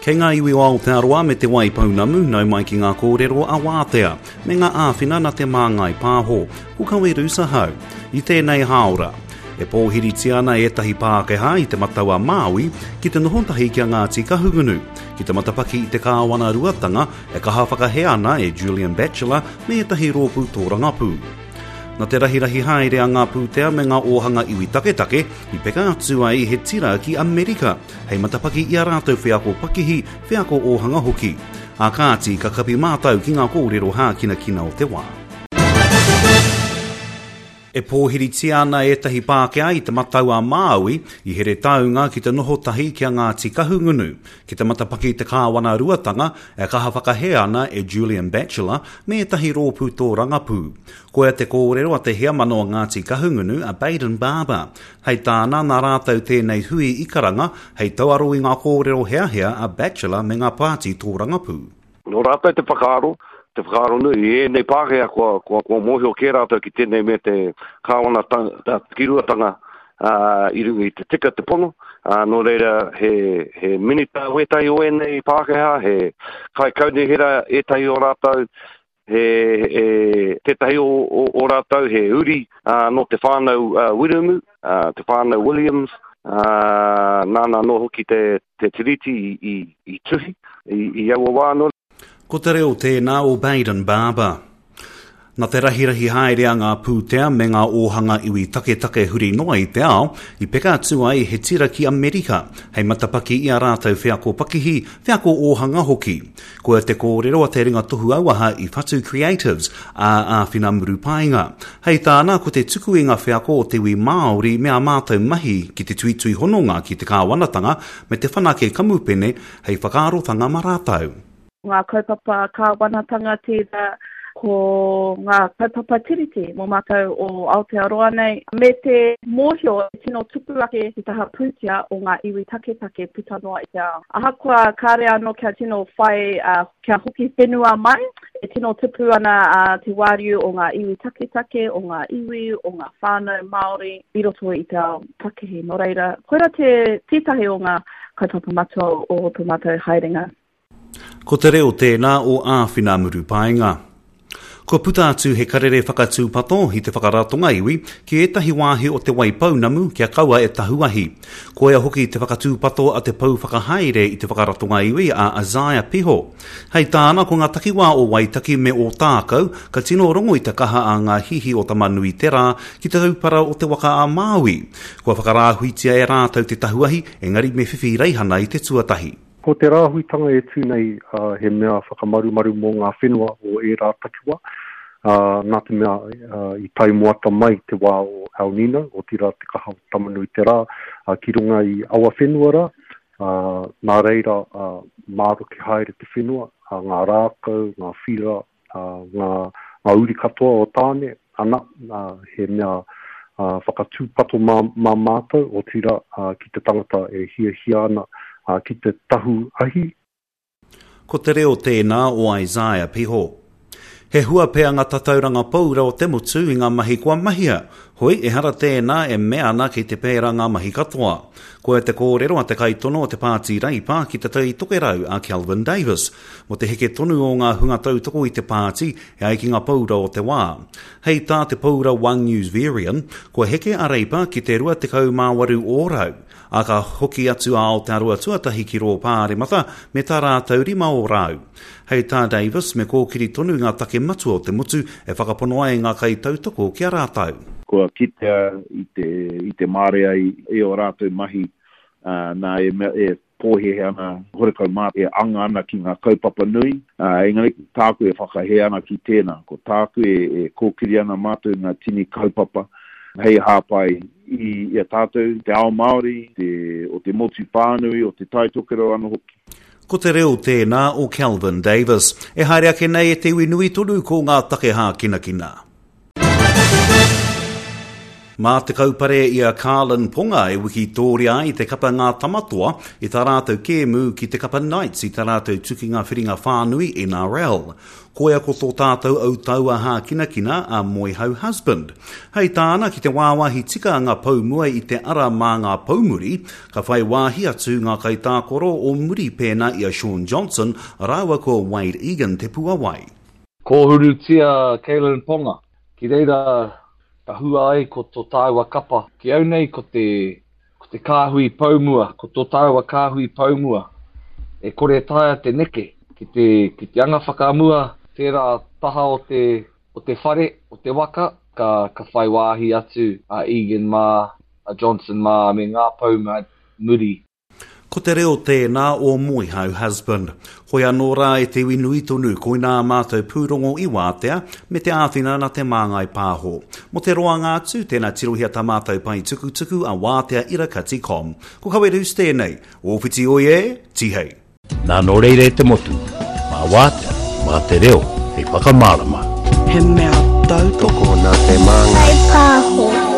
Kei ngā iwi o Aotearoa me Te Waipounamu, nau mai ki ngā kōrero a Wātea, me ngā āwhina na Te Māngai Pāho, ko Kawe Ahau. I tēnei hāora, e pōhiritia ana ētahi Pākehā i Te Matau-a-Māui ki te noho tahi ki a Ngāti Kahungunu, ki te matapaki i te kāwanaruatanga e kaha whakahē ana e Julian Batchelor me ētahi rōpū tōrangapū. Na te rahirahi haere a ngā pūtea me ngā ōhanga iwi taketake i peka atu ai he tira ki Amerika hei matapaki i a rātou wheako pakihi, wheako ōhanga hoki. Ā kāti, ka kapi mātou ki ngā kōrero hākinakina o te wā. E pōhiritia ana ētahi Pākehā i Te Matau-a-Māui, i Heretaunga ki te noho tahi ki a Ngāti Kahungunu, ki te matapaki i te kāwanaruatanga e kaha whakahē ana e Julian Batchelor me ētahi rōpū tōrangapū. Koia te kōrero a te heamana o Ngāti Kahungunu, a Bayden Barber. Hei tāna, nā rātou tēnei hui i karanga hei tauaro i ngā kōrero heahea a Batchelor me ngā pāti tōrangapū. Nō rātou te whakaaro, te whakaaro nui, i ēnei Pākehā kua, kua, kua mōhio kē rātou ki tēnei me te kāwana takiruatanga ā, i runga i te tika, te pono, ā, nō reira he, he minita wētahi o ēnei Pākehā, he kaikaunihera ētahi o rātou, he, he, tētahi o, o, o rātou he uri ā, nō te whānau ā, Wiremu, ā, te whānau Williams, ā, nāna anō hoki te, te tiriti i, i, i tuhi i, i aua wā anō. Ko te reo tēnā o Bayden Barber. Na te rahirahi haere a ngā pūtea me ngā ōhanga iwi taketake huri noa i te ao, i peka atu ai he tira ki Amerika, hei matapaki i a rātou wheako pakihi, wheako ōhanga hoki. Koia te kōrero a te ringa tohu auaha i Whatu Creatives, a Āwhina Murupaenga. Hei tāna, ko te tuku i ngā wheako o te iwi Māori me ā mātou mahi ki te tuitui hononga ki te kāwanatanga me te whanake kamupene hei whakaarotanga mā rātou. Ngā kaupapa kāwanatanga tērā, ko ngā kaupapa tiriti mō mātou o Aotearoa nei, me te mōhio e tino tupu ake te taha pūtea o ngā iwi taketake puta noa i te ao. Ahakoa kāre anō kia tino whai, kia hoki whenua mai, e tino tupu ana te wāriu o ngā iwi taketake, o ngā iwi, o ngā whānau Māori i roto i te ao pakihi. Nō reira, koirā te, tētahi o ngā kaupapa matua o tō mātou haerenga. Ko te reo tēnā o Āwhina Murupaenga. Kua puta atu he karere whakatūpato i te whakaratonga iwi ki ētahi wāhi o Te Waipounamu kia kaua e tahu ahi. Koia hoki te whakatūpato a te pou whakahaere i te whakaratonga iwi a Isaiah Piho. Hei tāna ko ngā takiwā o Waitaki me Ōtākou ka tino rongo i te kaha a ngā hihi o Tamanuiterā ki te taupara o Te Waka-a-Māui. Kua whakarāhuitia e rātou te tahu ahi engari me whiwhi raihana i te tuatahi. Ko te rāhuitanga e tū nei he mea whakamarumaru mō ngā whenua o ērā takiwā, nā te mea i tae moata mai te wā o El Nino, otirā te kaha o Tamanuiterā, ki runga i aua whenua rā, nā reira māroke haere te whenua, ngā rākau, ngā whira, ngā, ngā uri katoa o Tāne, ana, he mea whakatūpato mā, mā mātou, otirā, ki te tangata e hiahia ana ki te tahu ahi. Ko te reo tēnā o Isaiah Piho. He hua pea ngā tatauranga paura o te motu i ngā mahi kua mahia, hoi ehara tēnā e mea ana kei te pērā ngā mahi katoa. Koia te kōrero a te kaitono o te Pāti Reipa ki Te Tai Tokerau a Kelvin Davis, Mō te heke tonu o ngā hunga tautoko i te pāti e ai ki ngā paura o te wā. Hei tā te paura One News Verian, kua heke a Reipa ki te 28 ōrau, ā, ka hoki atu a Aotearoa Tuatahi ki rō Pāremata me tā rātou 5 ōrau. Hei tā Davis, me kōkiri tonu ngā take matua o te motu e whakapono ai ngā kaitautoko ki a rātou. Kua kitea i te, i te marea i, i ō rātou mahi, ā, nā, e mea, e pōhēhē ana, horekau mā e anga ana ki ngā kaupapa nui, ā, engari ko tāku e whakahē ana ki tēnā, ko tāku e, e kōkiri ana mātou ngā tini kaupapa hei hāpai i, i a tātou, te ao Māori, te, o te motu whānui, o te Tai Tokerau anō hoki. Ko te reo tēnā o Kelvin Davis. E haere ake nei e te iwi nui tonu ko ngā take hākinakina. Mā te kaupare i a Karlin Ponga e wikitōria ai te kapa Ngā Tamatoa i tā rātou kēmu ki te kapa Knights i tā rātou tukinga whiringa whānui NRL. Koia ko tō tātou autaua hākinakina a Moehau Husband. Hei tāna, ki te wāwāhi tika ngā pou mua i te ara mā ngā pou muri, ka whai wāhi atu ngā kaitākaro o muri pēnā i a Shaun Johnson rāua ko Wade Egan te puawai. Kōhurutia Kalyn Ponga, ki reira ka hua ai ko tō tāua kapa. Ki au nei ko te, ko te kāhui pou mua, ko tō tāua kāhui pou mua. E kore taea te neke ki te, ki te anga whakamua tērā taha o te, o te whare, o te waka, ka, ka whai wāhi atu a Egan mā, a Johnson mā me ngā pou muri. Ko te reo tēnā o Moehau Husband. Hoi anō rā e te iwi nui tonu, koinā ā mātou pūrongo i wātea, me te āwhina nā Te Māngai Pāho. Mō te roanga atu, tēnā tirohia tā mātou pae tukutuku a wātea irakati com. Ko Kawe Roos tēnei. Ōwhiti oi e, tihei! Nā nō reira e te motu, mā wātea, mā te reo hei whakamārama. He mea tautoko nā Te Māngai. Pāho.